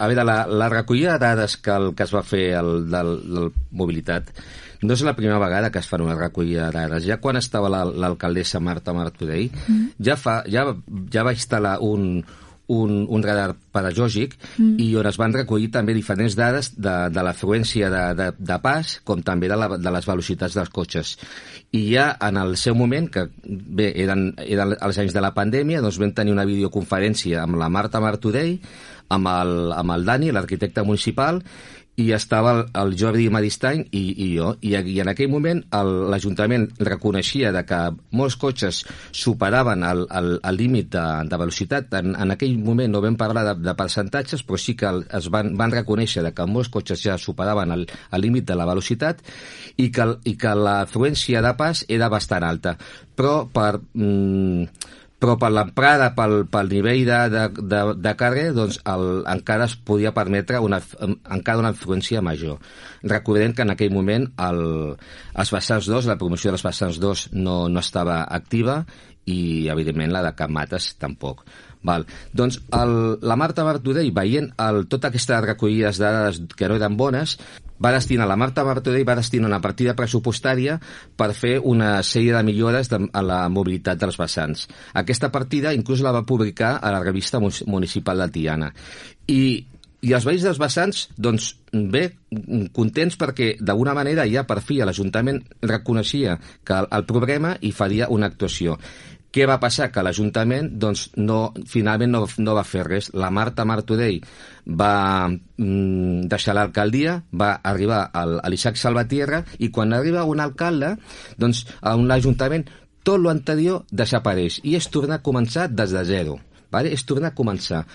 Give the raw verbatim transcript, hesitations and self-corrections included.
a veure, la, la recollida de dades que, el, que es va fer el, del, del Mobilitat no és la primera vegada que es fa una recollida de dades. Ja quan estava l'alcaldessa la, Marta Martorell, mm. ja, fa, ja, ja va instal·lar un, un, un radar pedagògic mm. i on es van recollir també diferents dades de, de l'afluència de, de, de pas, com també de, la, de les velocitats dels cotxes. I ja en el seu moment, que bé, eren, eren els anys de la pandèmia, doncs vam tenir una videoconferència amb la Marta Martorell, amb el, amb el Dani, l'arquitecte municipal, i estava el, el Jordi Maristany i, i jo, I, i en aquell moment l'Ajuntament reconeixia de que molts cotxes superaven el, el, el límit de, de velocitat. En, en aquell moment no vam parlar de, de percentatges, però sí que el, es van, van reconèixer de que molts cotxes ja superaven el, el límit de la velocitat i que, i que l'afluència de pas era bastant alta. Però per... Mm, però per l'emprada, pel, pel nivell de, de, de, de càrrega, doncs el, encara es podia permetre una, encara una influència major. Recordem que en aquell moment el, els vessants dos, la promoció dels vessants dos no, no estava activa i, evidentment, la de Can Mates tampoc. Val. Doncs el, la Marta Martorell, veient el, tota aquesta recollides de dades que no eren bones, va destinar, la Marta Martorell va destinar una partida pressupostària per fer una sèrie de millores de, a la mobilitat dels vessants. Aquesta partida inclús la va publicar a la revista municipal de Tiana. I, i els veïns dels vessants, doncs, bé, contents perquè d'alguna manera ja per fi l'Ajuntament reconeixia que el, el problema i faria una actuació. Què va passar? Que l'Ajuntament doncs, no, finalment no, no va fer res. La Marta Martorell va mm, deixar l'alcaldia, va arribar al, a l'Isaac Salvatierra i quan arriba un alcalde, doncs a un ajuntament tot l'anterior desapareix i és tornar a començar des de zero. Vale? És tornar a començar.